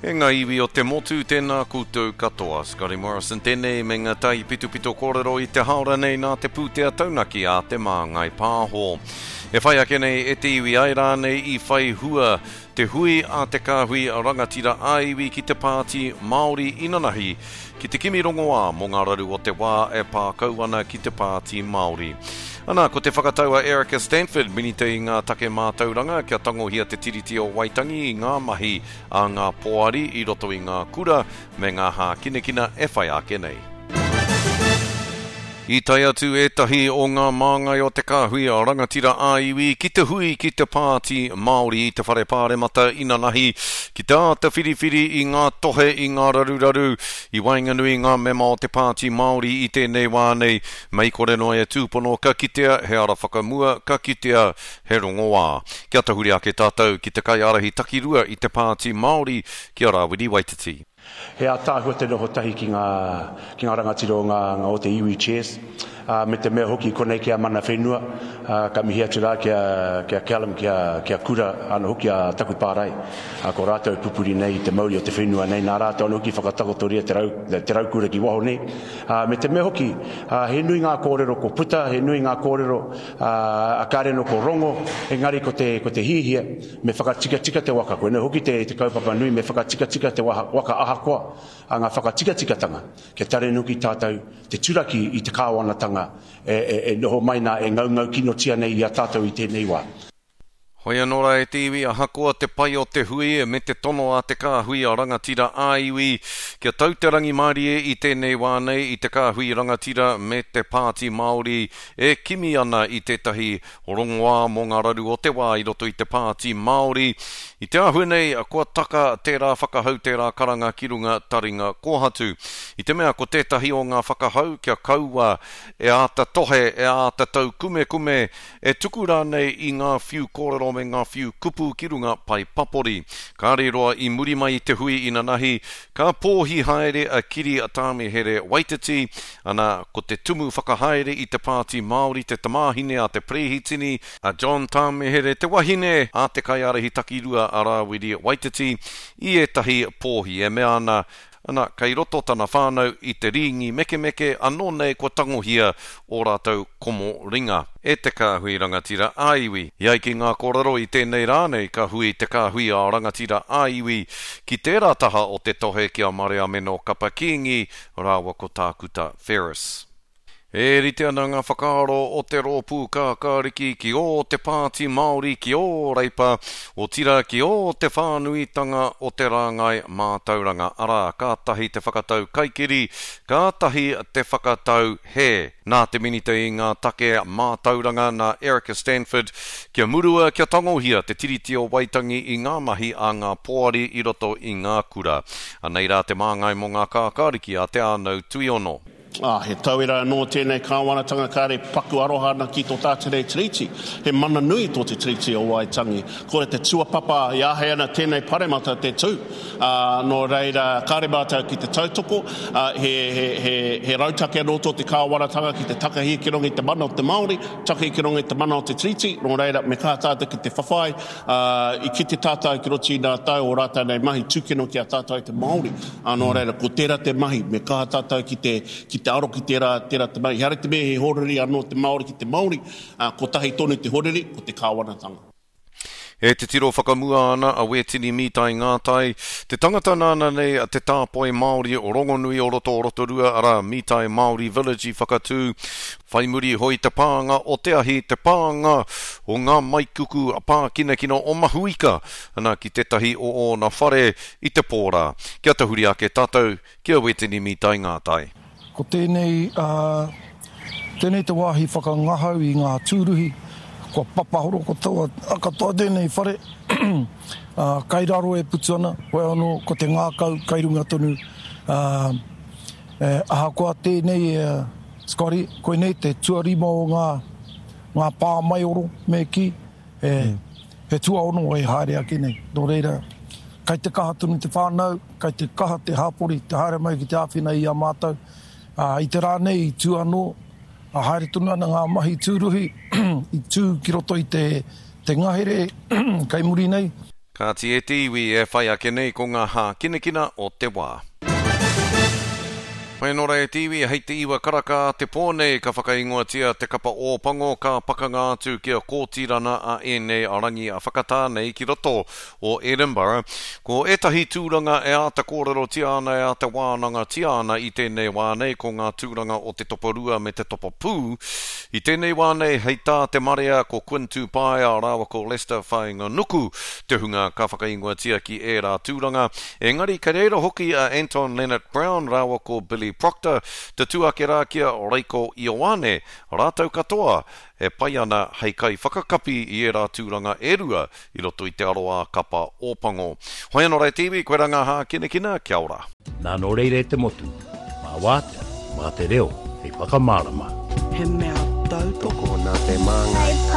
E ngā iwi o te motu, tēnā koutou katoa. Scotty Morrison tēnei me ngā taipitopito kōrero i te haora nei nā te pūtea taunaki a Te Māngai Pāho. E whai ake nei e te iwi ai rānei i whai hua te hui a te kāhui rangatira ā-iwi ki te Pāti Māori inanahi ki te kimi rongoā mō ngā raru o te wā e pā kau ana ki te Pāti Māori. Ana, ko te whakatau a Erica Stanford, Minita i ngā take mātauranga, kia tangohia te Tiriti o Waitangi i ngā mahi a ngā poari i roto i ngā kura me ngā hākinakina e whai ake nei. I tae atu ētahi o ngā māngai o te kāhui rangatira ā-iwi ki te hui ki te Pāti Māori i te Whare Pāremata inanahi ki te āta whiriwhiri i ngā tohe i ngā raruraru i waenganui i ngā mema o te Pāti Māori i tēnei wā nei, mei kore noa e tūpono ka kitea he ara whakamua, ka kitea he rongoā. Kia tahuri ake tātou ki te kaiārahi takirua i te Pāti Māori, ki a Rāwiri Waititi. He ātaahua te noho tahi ki ngā, ki ngā rangatira o ngā, ngā o te iwi Chairs, ā, me te mea hoki konei ki a mana whenua, ā, ka mihi atu rā ki a, ki a Callum, ki a, ki a Kura, anō hoki a taku pārae, ā, ko rātou e pupuri nei i te mauri o te whenua nei, nā rātou anō hoki i whakatakotoria te rau, te raukura ki waho nei, ā, me te mea hoki, ā, he nui ngā kōrero ko puta, he nui ngā kōrero, ā, a kāre anō ko rongo, engari ko te, ko te hiahia, Me whakatikatika te waka, koinei hoki te kaupapa nui, me whakatikatika te waka ahakoa a ngā whakatikatikatanga, kia tarenuki tātou te turaki i te kāwanatanga e noho mai nā, e ngaungau kinotia nei i a tātou i tēnei wā. Hoi anō rā e te iwi, ahakoa te pai o te hui me te tono a te kāhui a rangatira ā-iwi kia tau te rangimārie i tēnei wā nei i te kāhui rangatira me te Pāti Māori e kimi ana i tētahi Rongoā mō ngā raru o te wā i roto i te Pāti Māori. I te āhua nei, kua taka tērā whakahau tērā karanga ki runga taringa kōhatu. I te mea ko tētahi o ngā whakahau kia kaua e āta tohe, e āta taukumekume, e tuku rānei i ngā whiu kōrero me ngā whiu kupu ki runga pae papori. Kāre roa i muri mai i te hui inanahi, ka pōhi haere a Kiri Tāmihere Waititi, Ana, ko te tumu whakahaere i te Pāti Māori te tamāhine a te Perehitini, a John Tāmehere, te wahine a te kaiārahi takirua a Rāwiri Waititi, i ētahi pōhi e mea ana, ana, kei roto tana whānau i te rīngi mekemeke, anō nei kua tangohia ō rātou komo ringa e te kāhui rangatira ā-iwi. I ai ki ngā kōrero i tēnei rā nei ka hui te kāhui ā-rangatira ā-iwi ki tērā taha o te tohe ki a Mareameno Kapa Kīngi rāua ko Tākuta Ferris. E rite ana ngā whakaaro o te Rōpū Kākāriki ki ō te Pāti Māori, ki ō Reipa, otirā ki ō te whānuitanga o te rāngai mātauranga, arā, kātahi te whakatau kaikiri, kātahi te whakatau hē. Nā te Minita i ngā take mātauranga, nā Erica Stanford, kia murua, kia tangohia te Tiriti o Waitangi i ngā mahi a ngā poari i roto i ngā kura. Anei rā te māngai mō ngā kākāriki a Te Ānau Tuiono. Ā, he tauira anō tēnei kāwanatanga kāre paku aroha ana ki tō tātou nei Tiriti. He mana nui tō te Tiriti o Waitangi. Kore te tuapapa i āhei ana tēnei paremata te tū. Ā, nō reira, kāre mātou ki te tautoko, ā, he, he, he, he rautaki anō tō te kāwanatanga ki te takahi ki runga i te mana o te Māori, takahi ki runga i te mana o te Tiriti, nō reira, me kaha tātou ki te whawhai, ā, i kite tātou ki roto i ngā tau o rātou nei mahi tūkino ki a tātou te Māori, ā, nō reira, ko tērā te mahi, me kaha tātou ki te, ki te aro ki tērā, tērā te mahi. Ehara i te mea he horiri anō te Māori ki te Māori, ā, kotahi tonu te horiri, ko te kāwanatanga. E titiro whakamua ana a Wētini Mītai Ngātai, te tangata nāna nei te tāpoi Māori rongonui o roto o Rotorua, arā, Mītai Māori Village i whakatū, whai muri iho i te pānga o te ahi, te pānga o ngā maikuku pākinakina o Mahuika, ana ki tētahi o ōna whare i te pō rā. Kia tahuri ake tātou ki a Wētini Mītai Ngātai. Ko tēnei, ā, tēnei te wāhi whakangahau i ngā tūruhi, kua papahoro katoa, katoa tēnei whare, ā, kai raro e putu ana, hoi anō, ko te ngākau kai runga tonu, ā, e, ahakoa tēnei, e, Scotty, koinei te tuarima o ngā, ngā pā maioro, me kī, e, he tuaono e haere ake nei. Nō reira, kai te kaha tonu te whānau, Kai te kaha te hapori te haere mai ki te āwhina i a mātou. Ā, i te rā nei i tū anō, ā, haere tonu ana ngā mahi tūruhi i tū ki roto i te, te ngahere kei muri nei. Kāti e te iwi e whai ake nei ko ngā hākinakina o te wā. Whai anō rā e te iwi, hei te iwa karaka a te pō nei ka whakaingoatia te kapa Ōpango ka pakanga atu ki a Kōtirana a ēnei rangi a whakatā nei ki roto o Edinburgh. Ko ētahi tūranga e āta kōrerotia ana e āta wānangatia ana i tēnei wā nei ko ngā tūranga o te toparua me te topapū. I tēnei wā nei hei tā te marea ko Quinn Tupaea rāua ko Leicester Whainganuku te hunga ka whakaingoatia ki ērā tūranga. Engari kei reira hoki a Anton Lienert-Brown rāua ko Billy Proctor, tatū ake rā ki a Reiko Ioane, rātou katoa e pai ana hei kaiwhakakapi i ērā tūranga e rua i roto i te aroā kapa Ōpango. Hoi anō rā e te iwi, koirā ngā hākinakina, kia ora. Nā nō reira e te motu, mā wātea, mā te reo hei whakamārama. He mea tautoko. Tokona te māngai.